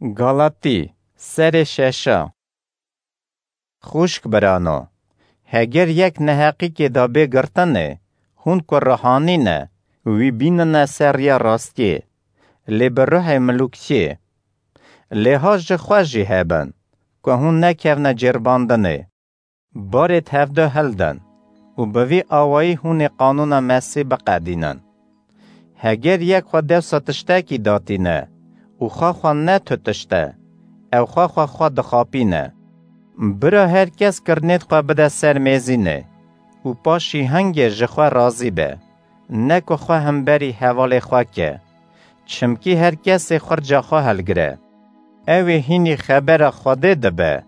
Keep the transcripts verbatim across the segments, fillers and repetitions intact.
Galatî, serê şeşa. Xwişk birano, heger yek neheqîkê da bê girtinê, hûn ku rihanî ne, wî bînine ser riya rastiyê, lê bi ruhê milûkçiyê. Lê ha ji xwe jî hebin, ku hûn nekevne cêrbandinê. Barê tevdo hildin û bi vî awayî hûn ê qanûna Mesî biqedînin. Heger yek xwe dewsa tiştekî datîne û xwe xwe ne tu tişt e, ew xwe xwe xwe dixapîne. Bira her kes kirinêt xwe bide ser mêzînê û paşî hingê ji xwe razî be, ne ku xwe hemberî hevalê xwe ke, çimkî her kesê xurca xwe hilgire. Ew ê hînî xebera Xwedê dibe.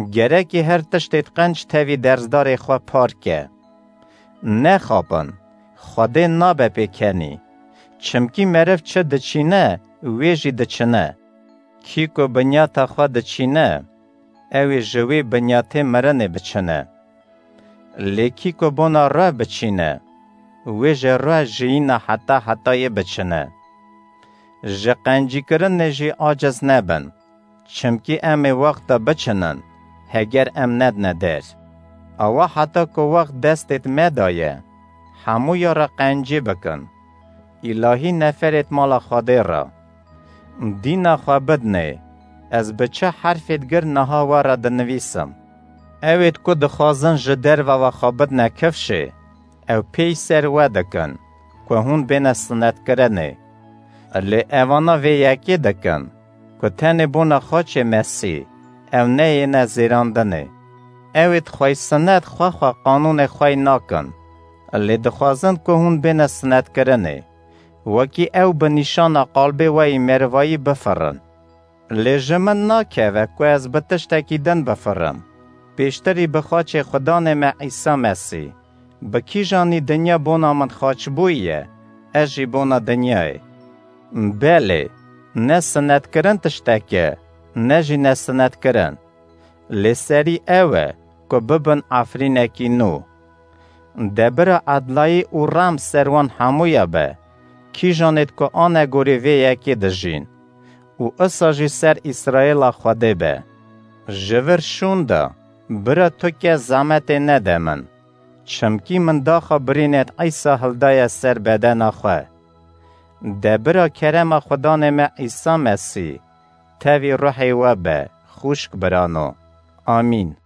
Gerekî her tiştê qenc tevî dersdarê xwe par ke. Nexapin, Xwedê nabe pêkenî. Çimkî meriv çi diçîne, wê jî diçine. Kî ku binyata xwe diçîne, ew ê ji wê binyatê mirinê biçine. Lê kî ku bona ruh biçîne, wê ji ruh jiyîna heta hetayê biçine. Ji qencîkirinê jî aciz nebin, çimkî em ê wexta biçinin, heger em nedine der. Awa heta ku wext destêt me daye, hemûya re qencî bikin. Îlahî neferêt mala Xwedê re. Dîna xwe bidinê, ez bi çi herfêt gir niha we re dinivîsim. Ewêt ku dixwazin ji derve ve xwe bidine kifşê, ew pêy ser we dikin, ku hûn bêne sinetkirinê. Lê evana vê yekê dikin, ku tenê bona xaçê Mesî, ew neyêne zêrandinê. Ewêt xwey sinet xwe xwe qanûnê xwey nakin. Lê dixwazin ku hûn bêne sinetkirinê. Wekî ew bi nîşana qalbê we yî merivayî bifirin. Lê ji min nakeve ku ez bi tiştekî din bifirim. Pêştirî bi xaçê Xudanê me Îsa Mesî, bi kîjanî dinya bona min xaç bûye, ez jî bona dinyayê. Belê, ne sinetkirin tiştek e, ne jî nesinetkirin. Lê serî ew e ku bibin efrînekî nû. De bira edlayî û rem ser wan hemûya be, kîjanêt ku anegorê vê yekê dijîn û isa jî ser Îsraêla Xwedê be. Ji vir şûn de, bira tu ke zemetê nede min, çimkî min daxa birînêt Îsa hildaye ser bedena xwe. De bira kerema Xudanê me Îsa Mesî, tevî ruhê we be, xwişk birano. Amîn.